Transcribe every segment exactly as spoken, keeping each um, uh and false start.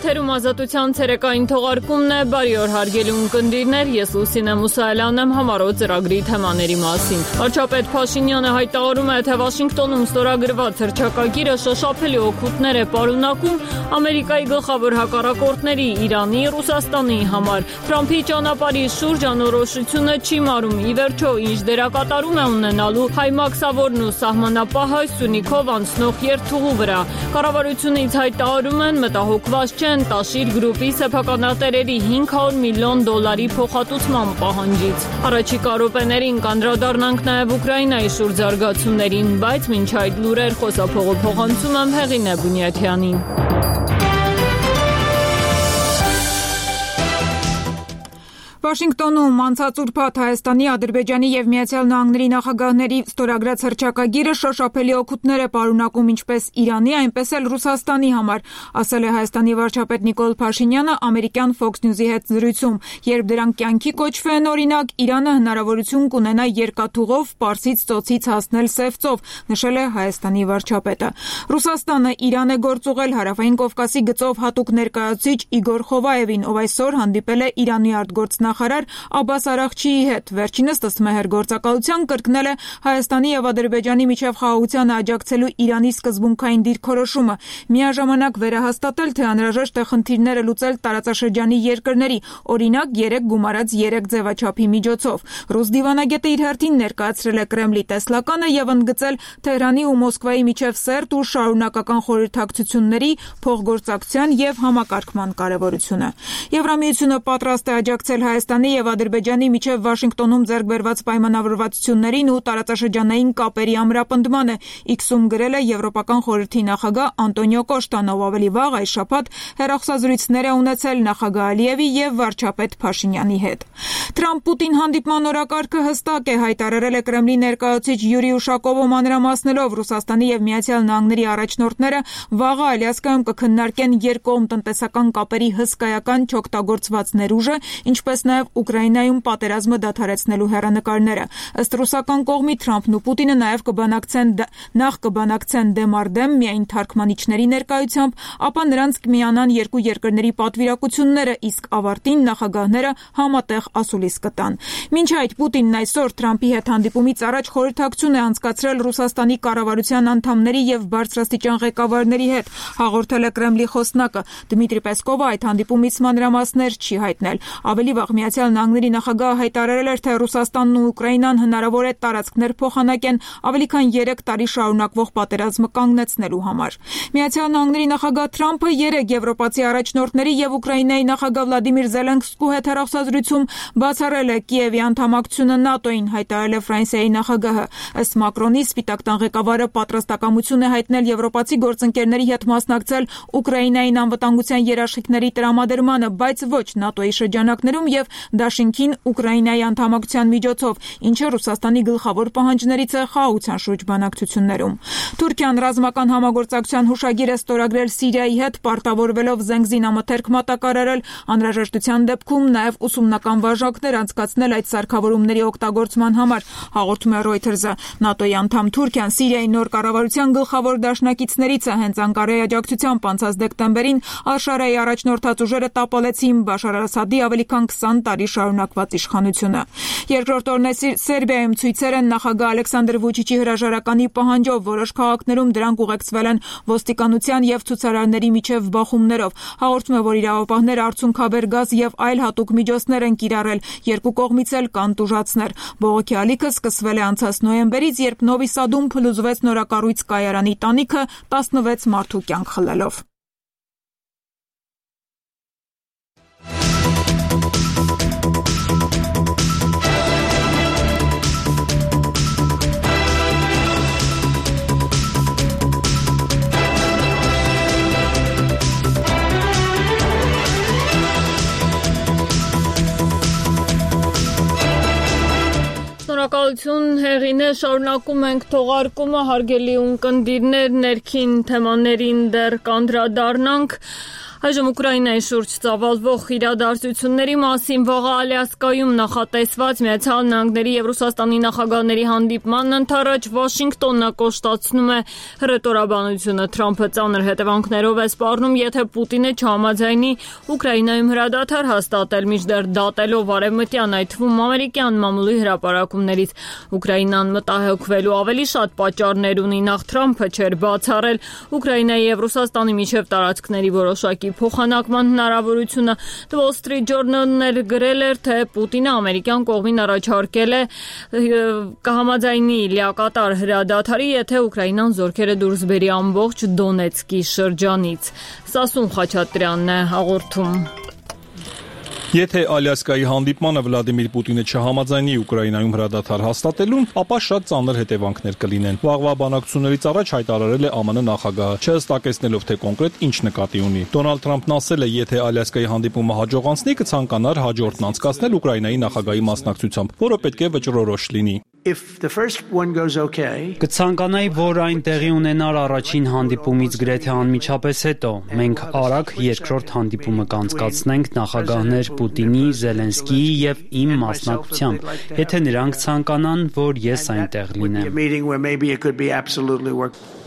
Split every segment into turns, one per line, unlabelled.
Եթերում ազատության ցերեկային թողարկումն է, բարի օր հարգելի ունկնդիրներ, ես Լուսինե Մուսայելյանն եմ համառոտ ծրագրի թեմաների մասին։ Վարչապետ Փաշինյանը հայտարարում է, թե Վաշինգտոնում ստորագրված հռչակագիրը շոշափելի օգուտներ է պարունակում Ամերիկայի գլխավոր հակառակորդների Իրանի, Ռուսաստանի համար։ Թրամփի ճանապարհի շուրջ անորոշությունը չի մարում, ի վերջո ինչ դերակատարում է ունենալու հայ մաքսավորն ու սահմանապահը Սյունիքով անցնող երթուղու վրա։ Կառավարությունից հայտարարում են մտահոգված չեն Տաշիր գրուպի սեփականատերերի հինգ հարյուր միլիոն դոլարի փոխհատուցման պահանջից։ Առաջիկա րոպեներին կանդրադառնանք նաև Ուկրաինայի շուրջ զարգացումներին, բայց մինչ այդ լուրեր խոսափողը փոխանցում եմ Հեղինե Բունյաթյանին։
Վաշինգտոնում անցած ուրբաթ Հայաստանի, Ադրբեջանի և Միացյալ Նահանգների նախագահների ստորագրած հռչակագիրը շոշափելի օգուտներ է պարունակում ինչպես Իրանի, այնպես էլ Ռուսաստանի համար, ասել է Հայաստանի վարչապետ Նիկոլ Փաշինյանը ամերիկյան Fox News-ի հետ զրույցում, երբ դրանք կյանքի կոչվեն, օրինակ, Իրանը հնարավորություն կունենա երկաթուղով Պարսից ծոցից հասնել Սև ծով, նշել է Հայաստանի վարչապետը։ Ռուսաստանը Իրան է գործուղել Հարավային Կովկասի գծով հատուկ ներկայացուցիչ Իգոր Խովայևին, ով այսօր հանդիպել է Իրանի արտգործնախարար Աբբաս Արաղչիի հետ։ Վերջինս ըստ գործակալության կրկնել է Հայաստանի և Ադրբեջանի միջև խաղաղությանը աջակցելու Իրանի սկզբունքային դիրքորոշումը, միաժամանակ վերահաստատել, թե անհրաժեշտ է խնդիրները լուծել տարածաշրջանի երկրների, օրինակ երեք գումարած երեք ձևաչափի միջոցով։ Ռուս դիվանագետը իր հերթին ներկայացրել է Կրեմլի տեսլականը և ընդգծել Թեհրանի ու Մոսկվայի միջև սերտ ու շարունակական խորհրդակցությունների, փոխգործակցության և համակարգման կարևորությունը։ Եվրամիությունը պատրաստ է աջակցել Հայաստանի և Ադրբեջանի միջև Վաշինգտոնում ձեռք բերված պայմանավորվածություններին ու տարածաշրջանային կապերի ամրապնդմանը, X-ում գրել է Եվրոպական խորհրդի նախագահ Անտոնիո Կոշտան, ով ավելի վաղ այս շաբաթ հեռախոսազրույցներ է ունեցել նախագահ Ալիևի և վարչապետ Փաշինյանի հետ։ Թրամփ-Պուտին հանդիպման օրակարգը հստակ է, հայտարարել է Կրեմլի ներկայացուցիչ Յուրի Ուշակովը մանրամասնելով Ռուսաստանի և Միացյալ Նահանգների առաջնորդները վաղը Ալյասկայում կքննարկեն երկկողմ տնտեսական կապերի հսկայական չօգտագործված ներուժը, ինչպես նաև Ուկրաինայում պատերազմը դադարեցնելու հեռանկարները։ Ըստ ռուսական կողմի Թրամփն ու Պուտինը նաև կբանակցեն նախ կբանակցեն դեմ առ դեմ միայն թարգմանիչների ներկայությամբ, ապա նրանց կմիանան երկու երկրների պատվիրակությունները, իսկ ավարտին նախագահները համատեղ ասուլիս կտան։ Մինչ այդ Պուտինն այսօր Թրամփի հետ հանդիպումից առաջ խորհրդակցություն է անցկացրել Ռուսաստանի կառավարության անդամների և բարձրաստիճան ղեկավարների հետ, հաղորդել է Կրեմլի խոսնակը։ Դմիտրի Պեսկովը այդ հանդիպումից մանրամասներ չի հայտնել։ Ավելի վաղ Միացյալ Նահանգների նախագահը հայտարարել էր, թե Ռուսաստանն ու Ուկրաինան հնարավոր է տարածքներ փոխանակեն ավելի քան երեք տարի շարունակվող պատերազմը կանգնեցնելու համար։ Միացյալ Նահանգների նախագահ Թրամփը երեկ եվրոպացի առաջնորդների և Ուկրաինայի նախագահ Վլադիմիր Զելենսկու հետ հեռախոսազրույցում բացառել է Կիևի անդամակցությունը ՆԱՏՕ-ին, հայտարարել է Ֆրանսիայի նախագահը։ Ըստ Մակրոնի, Սպիտակ տան ղեկավարը պատրաստակամություն է հայտնել եվրոպացի գործընկերների հետ մասնակցել Ուկրաինային անվտանգության երաշխիքների տրամադրմանը, բայց ոչ ՆԱՏՕ-ի շրջանակներում և դաշինքին Ուկրաինայի անդամակցության միջոցով, ինչը Ռուսաստանի գլխավոր պահանջներից է խաղաղության շուրջ բանակցություններում։ Թուրքիան ռազմական համագործակցության հուշագիր է ստորագրել Սիրիայի հետ, պարտավորվելով զենգզինամթերք մատակարարել, անհրաժեշտության դեպքում նաև ուսումնական վարժանքներ անցկացնել այդ սարքավորումների օգտագործման համար, հաղորդում է Reuters-ը։ ՆԱՏՕ-ի անդամ Թուրքիան Սիրիայի նոր կառավարության գլխավոր դաշնակիցներից է, հենց Անկարայի աջակցությամբ անցած դեկտեմբերին Ալ-Շարայի առաջնորդած ուժերը տապալեցին Բաշար Ասադի ավելի քան քսան տարի շարունակված իշխանությունը։ Երկրորդ օրն է Սերբիայում ցույցեր են նախագահ Ալեքսանդր Վուչիչի հրաժարականի պահանջով, որոշ քաղաքներում դրանք ուղեկցվել են ոստիկանության և ցուցարարների միջև բախումներով։ Հաղորդում է, որ իրավապահները արցունքաբեր գազ և այլ հատուկ միջոցներ են կիրառել, երկու կողմից էլ կան տուժածներ։ Բողոքի ալիքը սկսվել է անցած նոյեմբերից, երբ Նովի Սադում փլուզվեց նորակառույց կայարանի տանիքը տասնվեց մարդու կյանք խլելով։
Շնորհակալություն Հեղինե, շարունակում ենք թողարկումը, հարգելի ունկնդիրներ, ներքին թեմաներին դեռ կանդրադառնանք։ Այժմ Ուկրաինայի շուրջ ծավալվող իրադարձությունների մասին վաղը Ալյասկայում նախատեսված Միացյալ Նահանգների եւ Ռուսաստանի նախագահների հանդիպմանն ընդառաջ Վաշինգտոնը կոշտացնում է հռետորաբանությունը։ Թրամփը ծանր հետևանքներով է սպառնում, եթե Պուտինը չհամաձայնի Ուկրաինայում հրադադար հաստատել, մինչդեռ դատելով արևմտյան, այդ թվում ամերիկյան մամուլի հրապարակումներից։ Ուկրաինան մտահոգվելու ավելի շատ պատճառներ ունի, նախ Թրամփը չէր բացառել Ուկրաինայի եւ Ռուսաստանի միջև տարածքների որոշակի փոխանակման հնարավորությունը։ The Wall Street Journal-ն էլ գրել էր, թե Պուտինը ամերիկյան կողմին առաջարկել է կհամաձայնի լիակատար հրադադարի, եթե Ուկրաինան զորքերը դուրս բերի ամբողջ Դոնեցկի շրջանից։ Սասուն Խաչատրյանն է հաղորդում։
Եթե Ալյասկայի հանդիպմանը Վլադիմիր Պուտինը չհամաձայնի Ուկրաինայում հրադադար հաստատելուն, ապա շատ ծանր հետևանքներ կլինեն։ Վաղվա բանակցություններից առաջ հայտարարել է ԱՄՆ նախագահը, չհստակեցնելով, թե կոնկրետ ինչ նկատի ունի։ Դոնալդ Թրամփն ասել է, եթե Ալյասկայի հանդիպումը հաջողանցնի, կցանկանար հաջորդն անցկացնել Ուկրաինայի նախագահի մասնակցությամբ, որը պետք է վճռորոշ լինի։
If the first one goes okay,
կցանկանայի, որ այն տեղի ունենար առաջին հանդիպումից գրեթե անմիջապես հետո։ Մենք արագ երկրորդ հանդիպումը կանցկացնենք նախագահներ Պուտինի, Զելենսկիի եւ իմ մասնակցությամբ, եթե նրանք ցանկանան, որ ես այնտեղ լինեմ։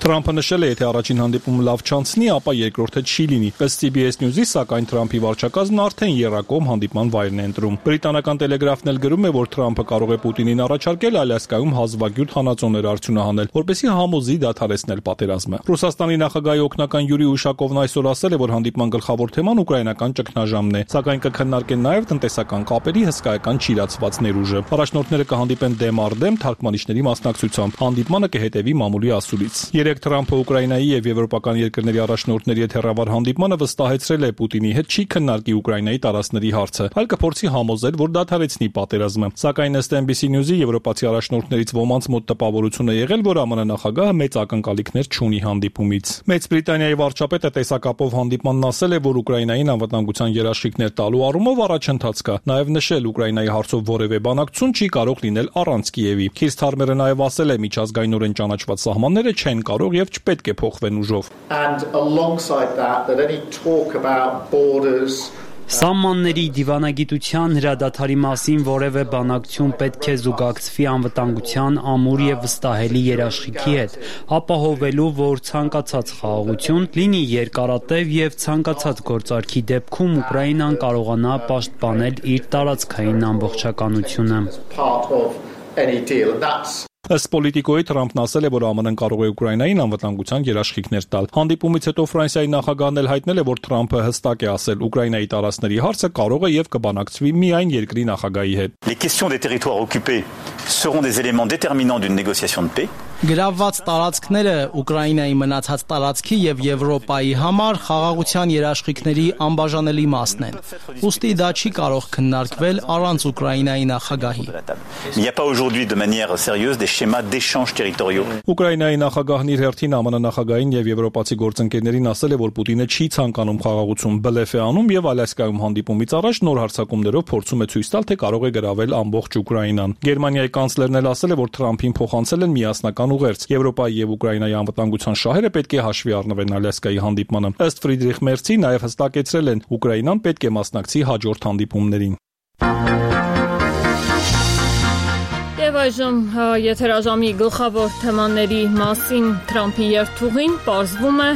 Թրամփը նշել է, եթե առաջին հանդիպումը լավ չանցնի, ապա երկրորդը չի լինի։ Ըստ C B S News-ի, սակայն Թրամփի վարչակազմն արդեն եռակողմ հանդիպման վայրն է ընտրում։ Բրիտանական տելեգրաֆն էլ գրում է, որ Թրամփը կարող է Պուտինին առաջարկել Ալյասկայում հազվագյուտ հանածոներ արդյունահանել, որպեսզի համոզի դադարեցնել պատերազմը։ Ռուսաստանի նախագահի օգնական Յուրի Ուշակովն այսօր ասել է, որ հանդիպման գլխավոր թեման ուկրաինական ճգնաժամն է, սակայն կքննարկեն նաև տնտեսական կապերի հսկայական չիրացված ներուժը։ Առաջնորդները կհանդիպեն դեմ առ դեմ թարգմանիչների մասնակցությամբ։ Հանդիպմանը կհետևի մամուլի ասուլից։ Երեք Թրամփը Ուկրաինայի եւ եվրոպական երկրների առաջնորդների հետ հեռավար հանդիպմանը վստահեցրել է Պուտինի հետ չի քննարկի Ուկրաինայի տարածքների հարցը, այլ կփորձի համոզել, որ դադարեցնի պատերազմը։ Սակայն ըստ N B C News-ի եվրոպացի առաջնորդներից ոմանց մոտ տպավորություն է եղել, որ ԱՄՆ նախագահը մեծ ակնկալիքներ չունի հանդիպումից։ Մեծ Բրիտանիայի վարչապետը տեսակապով հանդիպմանն ասել է, որ Ուկրաինային անվտանգության երաշխիքներ տալու առումով առաջընթաց կա։ Նաև նշել Ուկրաինայի հարցով որևէ բանակցություն չի կարող լինել առանց Կիևի։ Քիր Սթարմերը նաև ասել է, միջազգայինորեն ճանաչված սահմանները չեն կարող եւ չպետք է փոխվեն ուժով։
And alongside that that any talk about borders
Սահմանների դիվանագիտության հրադադարի մասին որևէ բանակցություն պետք է զուգակցվի անվտանգության ամուր եւ վստահելի երաշխիքի հետ, ապահովելու, որ ցանկացած խաղաղություն լինի երկարատև եւ ցանկացած գործարքի դեպքում Ուկրաինան կարողանա պաշտպանել իր տարածքային ամբողջականությունը։
Ըստ Պոլիտիկոյի Թրամփն ասել է, որ ԱՄՆ-ն կարող է Ուկրաինային անվտանգության երաշխիքներ տալ։ Հանդիպումից հետո Ֆրանսիայի նախագահն էլ հայտնել է, որ Թրամփը հստակ է ասել, Ուկրաինայի տարածքների հարցը կարող է եւ կբանակցվի միայն երկրի նախագահի հետ։
Les questions des territoires occupés seront des éléments déterminants d'une négociation de paix.
Գրավված տարածքները Ուկրաինայի մնացած տարածքի եւ Եվրոպայի համար խաղաղության երաշխիքների անբաժանելի մասն են։ Ոստի դա չի կարող քննարկվել առանց Ուկրաինայի նախագահի։
Il n'y a pas aujourd'hui de manière sérieuse des schémas d'échange territoriaux.
Ուկրաինայի նախագահն իր հերթին ԱՄՆ նախագահին եւ եվրոպացի գործընկերներին ասել է, որ Պուտինը չի ցանկանում խաղաղություն, բլեֆ է անում եւ Ալյասկայում հանդիպումից առաջ նոր հարձակումներով փորձում է ցույց տալ, թե կարող է գրավել ամբողջ Ուկրաինան։ Գերմանիայի կանցլերն էլ ասել է, որ Թրամփին փոխանցել են միասնական ուղերձ։ Եվրոպայի եւ Ուկրաինայի անվտանգության շահերը պետք է հաշվի առնվեն Ալյասկայի հանդիպմանը։ Ըստ Ֆրիդրիխ Մերցի նաև հստակեցրել են, Ուկրաինան պետք է մասնակցի հաջորդ հանդիպումներին։
Եվ այժմ եթերաժամի գլխավոր թեմաների մասին Թրամփի երթուղին պարզվում է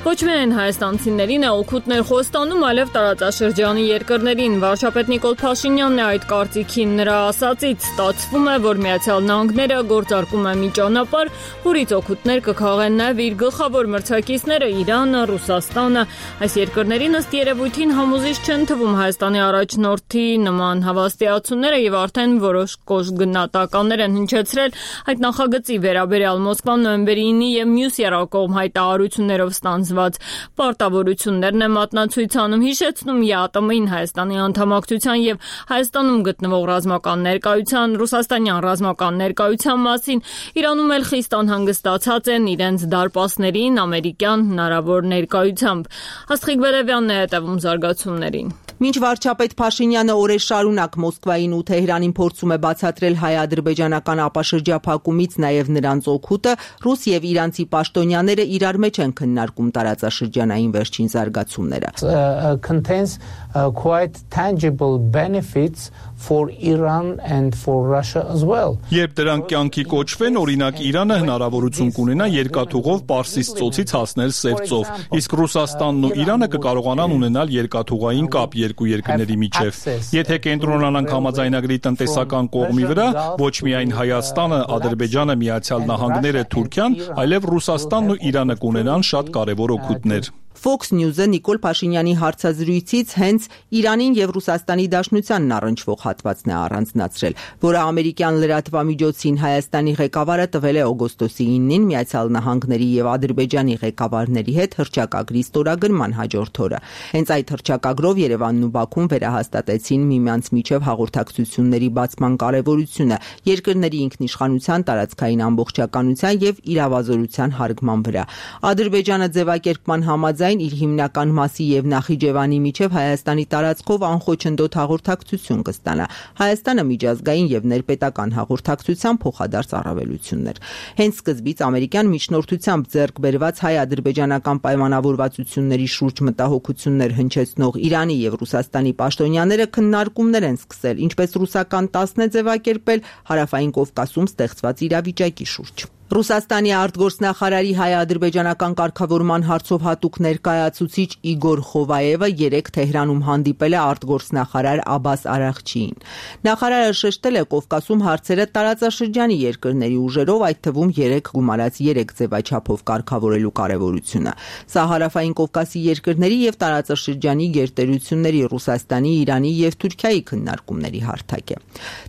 ոչ միայն հայաստանցիներին է օգուտներ խոստանում, այլև տարածաշրջանի երկրներին։ Վարչապետ Նիկոլ Փաշինյանն է այդ կարծիքին, նրա ասածից ստացվում է, որ Միացյալ Նահանգները գործարկում է մի ճանապարհ, որից օգուտներ կքաղեն նաև իր գլխավոր մրցակիցները՝ Իրանը, Ռուսաստանը։ Այս երկրներին ըստ երևույթին համոզիչ չեն թվում Հայաստանի առաջնորդի նման հավաստիացումները եւ արդեն որոշ կոշգնահատականներ են հնչեցրել այդ նախագծի վերաբերյալ։ Մոսկվան նոյեմբերի ինը եւ մյուս եռակողմ հայտարարություններով ստանձ պարտավորություններն է մատնացույցանում, հիշեցնում ԵԱՏՄ-ին Հայաստանի անդամակցության եւ Հայաստանում գտնվող ռազմական ներկայության, ռուսաստանյան ռազմական ներկայության մասին։ Իրանում էլ խիստ անհանգստացած են իրենց դարպասներին ամերիկյան հնարավոր ներկայությամբ։ Աստղիկ Բերևյանն է հետևում զարգացումներին։
Մինչ վարչապետ Փաշինյանը օրեր շարունակ Մոսկվային ու Թեհրանին փորձում է բացատրել հայ-ադրբեջանական ապաշրջափակումից նաև նրանց օգուտը, ռուս եւ իրանցի պաշտոնյաները իրար մեջ են քննարկում տարածաշրջանային վերջին զարգացումները։
Uh, contains uh, quite tangible benefits for Iran and for Russia as well.
Երբ դրանք կյանքի կոչվեն, օրինակ Իրանը հնարավորություն կունենա երկաթուղով Պարսից ծոցից հասնել Սև ծով, իսկ Ռուսաստանն ու Իրանը կկարողանան ունենալ երկաթուղային կապ երկու երկրների միջև։ Եթե կենտրոնանանք համաձայնագրի տնտեսական կողմի վրա, ոչ միայն Հայաստանը, Ադրբեջանը, Միացյալ Նահանգները, Թուրքիան, այլև Ռուսաստանն ու Իրանը կունենան շատ կարևոր օգուտներ։
Fox News-ը Նիկոլ Փաշինյանի հարցազրույցից հենց Իրանին եւ Ռուսաստանի Դաշնությանն առնչվող հատվածն է առանձնացրել, որը ամերիկյան լրատվամիջոցին Հայաստանի ղեկավարը տվել է օգոստոսի իննին Միացյալ Նահանգների եւ Ադրբեջանի ղեկավարների հետ հռչակագրի ստորագրման հաջորդ օրը։ Հենց այդ հռչակագրով Երևանն ու Բաքուն վերահաստատեցին միմյանց միջև հաղորդակցությունների բացման կարեւորությունը երկրների ինքնիշխանության, տարածքային ամբողջականության եւ իրավազորության հարգման վրա։ Ադրբեջանը ձևակերպման համաձայն իր հիմնական մասի եւ Նախիջևանի միջև Հայաստանի տարածքով անխոչնդոտ հաղորդակցություն կստանա։ Հայաստանը միջազգային եւ ներպետական հաղորդակցության փոխադարձ առավելություններ։ Հենց սկզբից ամերիկյան միջնորդությամբ ձեռք բերված հայ-ադրբեջանական պայմանավորվածությունների շուրջ մտահոգություններ հնչեցնող Իրանի եւ Ռուսաստանի պաշտոնյաները քննարկումներ են սկսել, ինչպես ռուսական տասն է ձևակերպել Հարավային Կովկասում ստեղծված իրավիճակի շուրջ։ Ռուսաստանի արտգործնախարարի հայ-ադրբեջանական կարգավորման հարցով հատուկ ներկայացուցիչ Իգոր Խովայևը երեկ Թեհրանում հանդիպել է արտգործնախարար Աբբաս Արաղչիին։ Նախարարը շեշտել է Կովկասում հարցերը տարածաշրջանի երկրների ուժերով, այդ թվում երեք գումարած երեք ձևաչափով կարգավորելու կարևորությունը։ Սա Հարավային Կովկասի երկրների եւ տարածաշրջանի գերտերությունների Ռուսաստանի, Իրանի եւ Թուրքիայի քննարկումների հարթակ է։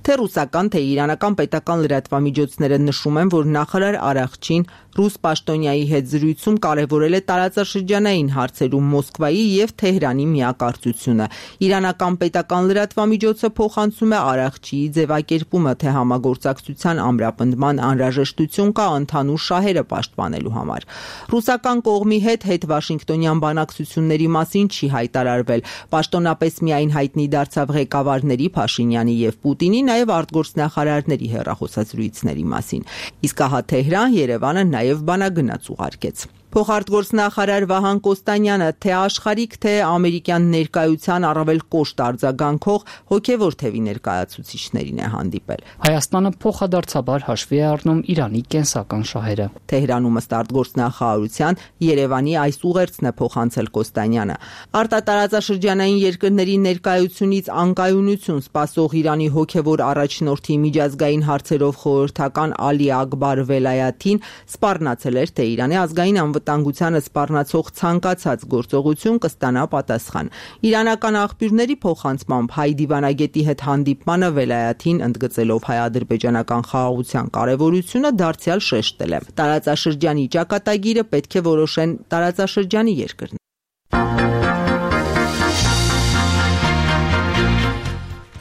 Թե ռուսական, թե իրանական պետական լրատվամիջոցները նշում են, որ նախարար Արաղչին ռուս պաշտոնյայի հետ զրույցում կարևորել է տարածաշրջանային հարցերում Մոսկվայի եւ Թեհրանի միակարծությունը։ Իրանական պետական լրատվամիջոցը փոխանցում է Արաղչիի ձևակերպումը, թե համագործակցության ամրապնդման անհրաժեշտություն կա ընդհանուր շահերը պաշտպանելու համար։ Ռուսական կողմի հետ հետ Վաշինգտոնյան բանակցությունների մասին չի հայտարարվել։ Պաշտոնապես միայն հայտնի դարձավ ղեկավարների Փաշինյանի եւ Պուտինի, նաեւ արտգործնախարարների հեռախոսազրույցների մասին։ Իսկ ահա Թեհրան, Երևանը նաև բանագնաց ուղարկեց։ Փոխարտգործնախարար Վահան Կոստանյանը թե աշխարհիկ, թե ամերիկյան ներկայության առավել կոշտ արձագանքող հոգևոր թևի ներկայացուցիչներին է հանդիպել։
Հայաստանը փոխադարձաբար հաշվի է առնում Իրանի կենսական շահերը։
Թեհրանում ըստ արտգործնախարարության Երևանի այս ուղերձն է փոխանցել Կոստանյանը։ Արտատարածաշրջանային երկրների ներկայությունից անկայունություն սպասող Իրանի հոգևոր առաջնորդի միջազգային հարցերով խորհրդական Ալի Ակբար Վելայաթին սպառնացել էր, թե Իրանի ազգային անվտանգությանը սպառնացող ցանկացած գործողություն կստանա պատասխան։ Իրանական աղբյուրների փոխանցմամբ հայ դիվանագետի հետ հանդիպմանը Վելայաթին ընդգծելով հայ-ադրբեջանական խաղաղության կարևորությունը դարձյալ շեշտել է։ Տարածաշրջանի ճակատագիրը պետք է որոշեն տարածաշրջանի երկրները։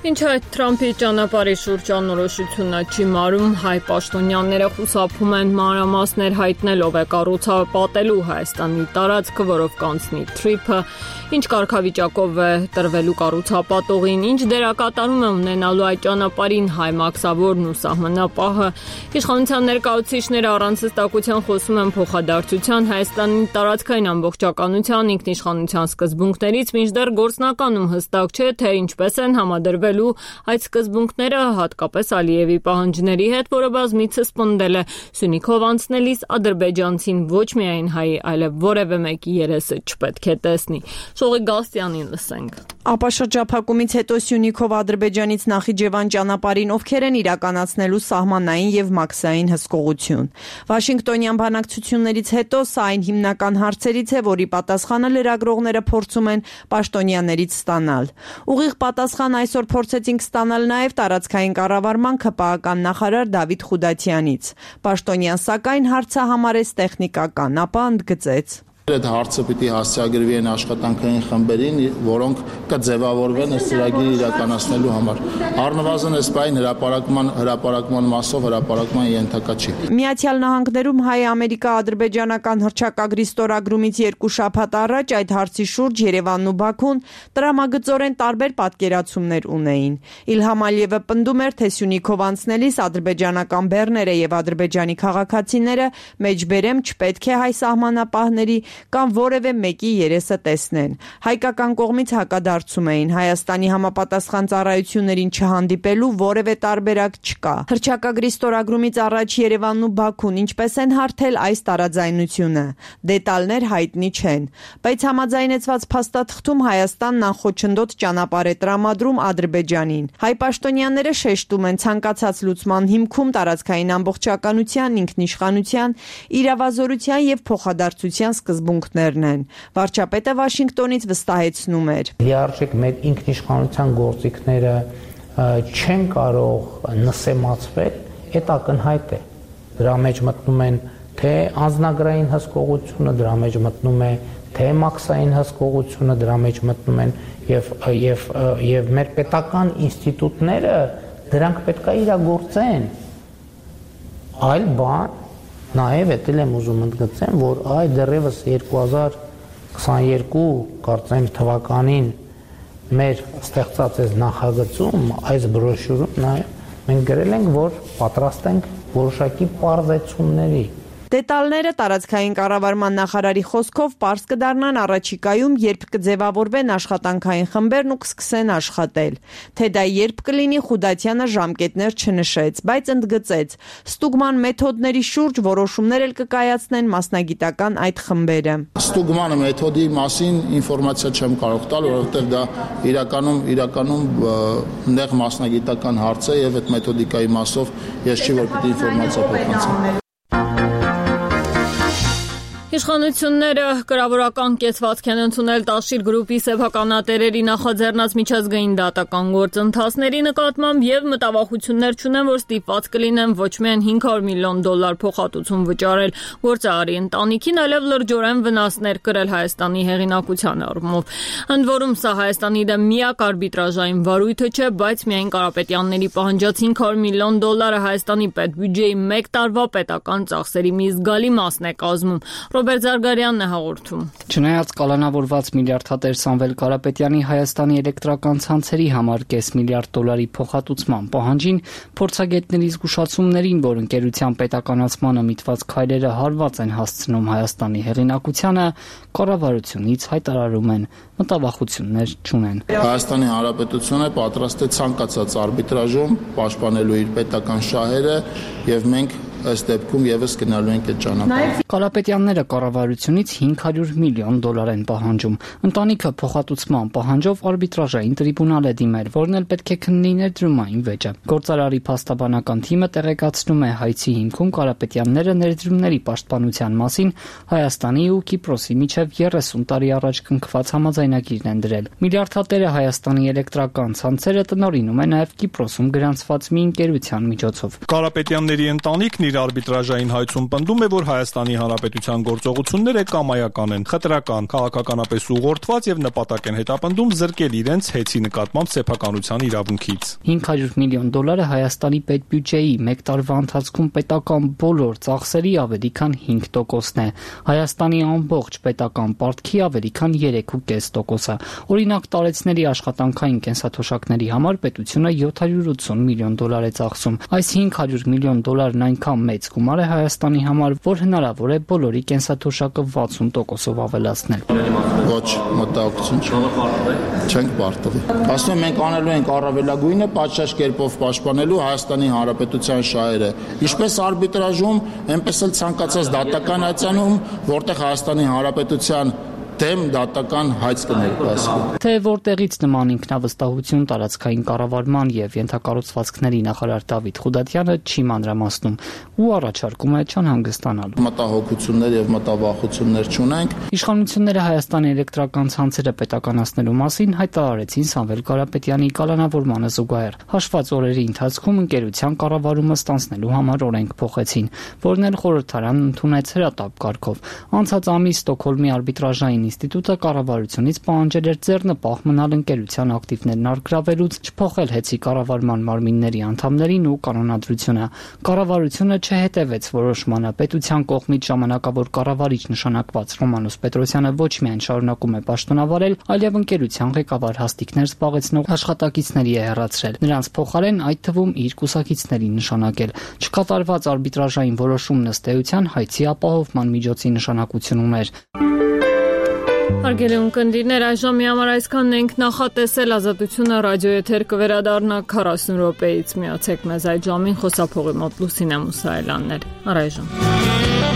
Ինչ այդ Թրամփի ճանապարհի շուրջ անորոշությունը չի մարում, հայ պաշտոնյաները խուսափում են մանրամասներ հայտնելով է կառուցապատելու Հայաստանի տարածքը, որով կանցնի թրիփը, ինչ կարգավիճակով է տրվելու կառուցապատողին, ինչ դերակատարում է ունենալու այդ ճանապարհին հայ մաքսավորն ու սահմանապահը։ Իշխանության ներկայացուցիչները առանց հստակության խոսում են փոխադարձության Հայաստանի տարածքային ամբողջականության ինքնիշխանության սկզբունքներից, մինչդեռ գործնականում հստակ չէ, թե ինչպես են համադրվել այդ սկզբունքները հատկապես Ալիևի պահանջների հետ, որը բազմիցս պնդել է Սյունիքով անցնելիս ադրբեջանցին ոչ միայն հայի, այլև որևէ մեկի երեսը չպետք է տեսնի։ Շողի Գալստյանին լսենք։
Ապա շրջափակումից հետո Սյունիքով Ադրբեջանից Նախիջևան ճանապարհին ովքեր են իրականացնելու սահմանային եւ մաքսային հսկողություն։ Վաշինգտոնյան բանակցություններից հետո սա այն հիմնական հարցերից է, որի պատասխանը լրագրողները փորձում են պաշտոնյաներից ստանալ։ Ուղիղ պատասխան այսօր փորձեցինք ստանալ նաև տարածքային կառավարման ՔՊԱ-ական նախարար Դավիթ Խուդատյանից։ Պաշտոնյան սակայն հարցը համարեց տեխնիկական, ապա ընդգծեց.
Այդ հարցը պիտի հասցեագրվի այն աշխատանքային խմբերին, որոնք կձևավորվեն այս ծրագիրը իրականացնելու համար։ Առնվազն այս բային հրապարակման հրապարակման մասով հրապարակման ենթակա չի։
Միացյալ Նահանգներում հայ-ամերիկա-ադրբեջանական հռչակագրի ստորագրումից երկու շաբաթ առաջ այդ հարցի շուրջ Երևանն ու Բաքուն տրամագծորեն տարբեր պատկերացումներ ունեին։ Իլհամ Ալիևը պնդում էր, թե Սյունիքով անցնելիս ադրբեջանական բեռները եւ ադրբեջանի քաղաքացիները մեջբերեմ չպետք է հայ սահմանապահների կամ որևէ մեկի երեսը տեսնեն։ Հայկական կողմից հակադարձում էին, Հայաստանի համապատասխան ծառայություններին չհանդիպելու որևէ տարբերակ չկա։ Հռչակագրի ստորագրումից առաջ Երևանն ու Բաքուն ինչպես են հարթել այս տարաձայնությունը։ Դետալներ հայտնի չեն, բայց համաձայնեցված փաստաթղթում Հայաստանն անխոչնդոտ ճանապարհ է տրամադրում Ադրբեջանին։ Հայ պաշտոնյաները շեշտում են ցանկացած լուծման հիմքում տարածքային ամբողջականության, ինքնիշխանության, իրավազորության եւ փոխադարձության սկզբունքներն են։ Վարչապետը Վաշինգտոնից վստահեցնում էր.
Լիարժեք մեր ինքնիշխանության գործիքները չեն կարող նսեմացվել, այդ ակնհայտ է։ Դրա մեջ մտնում են թե անձնագրային հսկողությունը, դրա մեջ մտնում է թե մաքսային հսկողությունը, դրա մեջ մտնում են եւ եւ եւ մեր պետական ինստիտուտները դրանք պետք է իրագործեն։ Այլ բան նաեւ էտել եմ ուզում ընդգծեմ, որ այ դեռևս երկու հազար քսաներկու կարծեմ թվականին մեր ստեղծած այս նախագծում, այս բրոշյուրում նաեւ մենք գրել ենք, որ պատրաստ ենք որոշակի պարզեցումների։
Դետալները տարածքային կառավարման նախարարի խոսքով պարզ կդառնան առաջիկայում, երբ կձևավորվեն աշխատանքային խմբերն ու կսկսեն աշխատել։ Թե դա երբ կլինի, Խուդատյանը ժամկետներ չնշեց, բայց ընդգծեց, ստուգման մեթոդների շուրջ որոշումներ էլ կկայացնեն մասնագիտական այդ խմբերը։
Ստուգման մեթոդի մասին ինֆորմացիա չեմ կարող տալ, որովհետև դա իրականում իրականում նեղ մասնագիտական հարց է եւ այդ մեթոդիկայի մասով ես չի որ պիտի ինֆորմացիա փոխանցեմ։
Իշխանությունները կրավորական կեցվածք են ընդունել Տաշիր գրուպի սեփականատերերի նախաձեռնած միջազգային դատական գործընթացների նկատմամբ եւ մտավախություններ չունեն, որ ստիպված կլինեն ոչ միայն հինգ հարյուր միլիոն դոլար փոխհատուցում վճարել գործարարի ընտանիքին, այլև լրջորեն վնասներ կրել Հայաստանի հեղինակության առումով։ Ընդ որում սա Հայաստանի դեմ միակ արբիտրաժային վարույթը չէ, բայց միայն Կարապետյանների պահանջած հինգ հարյուր միլիոն դոլարը Հայաստանի պետբյուջեի մեկ տարվա պետական ծախսերի մի զգալի մասն է կազմում։ Ռոբերտ Զարգարյանն է հաղորդում։
Չնայած կալանավորված միլիարդատեր Սամվել Կարապետյանի Հայաստանի էլեկտրական ցանցերի համար կես միլիարդ դոլարի փոխհատուցման պահանջին, փորձագետների զգուշացումներին, որ ընկերության պետականացմանը միտված քայլերը հարված են հասցնում Հայաստանի հեղինակությանը, կառավարությունից հայտարարում են մտավախություններ չունեն։
Հայաստանի Հանրապետությունը պատրաստ է ցանկացած արբիտրաժում պաշտպանելու իր պետական շահերը եւ մենք ըստ դեպքում եւս գնալու ենք այդ ճանապարհով։
Կարապետյանները կառավարությունից հինգ հարյուր միլիոն դոլար են պահանջում։ Ընտանիքը փոխհատուցման պահանջով արբիտրաժային տրիբունալ է դիմել, որն էլ պետք է քննի ներդրումային վեճը։ Գործարարի փաստաբանական թիմը տեղեկացնում է հայցի հիմքում Կարապետյանները ներդրումների պաշտպանության մասին Հայաստանի ու Կիպրոսի միջև երեսուն տարի առաջ կնքված համաձայնագիրն են դրել։ Միլիարդատերը Հայաստանի էլեկտրական ցանցերը տնօրինում է նաև Կիպրոսում գրանցված մի ընկերության միջոցով։
Կարապետյանների ընտանիքն իր արբիտրաժային հայցում պնդում է, որ Հայաստանի Հանրապետության գործողությունները կամայական են, խտրական, քաղաքականապես ուղղորդված եւ նպատակ են հետապնդում զրկել իրենց հեծի նկատմամբ սեփականության իրավունքից։
հինգ հարյուր միլիոն դոլարը Հայաստանի պետբյուջեի մեկ տարվա ընթացքում պետական բոլոր ծախսերի ավելի քան հինգ տոկոսն է։ Հայաստանի ամբողջ պետական պարտքի ավելի քան երեք կoma պենս տոկոսը։ Օրինակ տարեցների աշխատանքային կենսաթոշակների համար պետությունը յոթ հարյուր ութսուն միլիոն դոլար է ծախսում։ Այս հինգ հարյուր միլիոն դոլարն այնքան մեծ գումար է Հայաստանի համար, որ հնարավոր է բոլորի կենսաթոշակը վաթսուն տոկոսով ավելացնել։
Ոչ, մտահոգություն չենք պարտվի։ Ասում եմ, մենք անելու ենք առավելագույնը պատշաճ կերպով պաշտպանելու Հայաստանի Հանրապետության շահերը։ Ինչպես արբիտրաժում, այնպես էլ ցանկացած դատական հայցանում, որտեղ Հայաստանի Հանրապետության դեմ դատական հայց կներկայացվի։
Թե որտեղից նման ինքնավստահություն տարածքային կառավարման եւ ենթակառուցվածքների նախարար Դավիթ Խուդատյանը չի մանրամասնում ու առաջարկում է չանհանգստանալ։
Մտահոգություններ եւ մտավախություններ չունենք։
Իշխանությունները Հայաստանի էլեկտրական ցանցերը պետականացնելու մասին հայտարարեցին Սամվել Կարապետյանի կալանավորմանը զուգահեռ։ Հաշված օրերի ընթացքում ընկերության կառավարումը ստանձնելու համար օրենք փոխեցին, որն էլ խորհրդարանն ընդունեց հրատապ կարգով։ Անցած ամիս Ստոկհոլմի արբիտրաժային
ինստիտուտը կառավարությունից պահանջել էր ձեռնպահ մնալ ընկերության ակտիվներն առգրավելուց, չփոխել հեծի կառավարման մարմինների անդամներին ու կանոնադրությունը։ Կառավարությունը չհետևեց որոշմանը։ Պետության կողմից ժամանակավոր կառավարիչ նշանակված Ռոմանոս Պետրոսյանը ոչ միայն շարունակում է պաշտոնավարել, այլև ընկերության ղեկավար հաստիքներ զբաղեցնող աշխատակիցների է հեռացրել, նրանց փոխարեն այդ թվում իր կուսակիցներին նշանակել։ Չկատարված արբիտրաժային որոշումն ըստ էության հայցի ապահովման միջոցի նշանակություն ուներ։
Հարգելի ունկնդիրներ, այժմ մի համար այսքանն ենք նախատեսել Ազատությունը ռադիոեթեր կվերադառնա քառասուն րոպեից։ Միացեք մեզ այդ ժամին խոսափողի մոտ Լուսինե Մուսայելյանն էր։ Առայժմ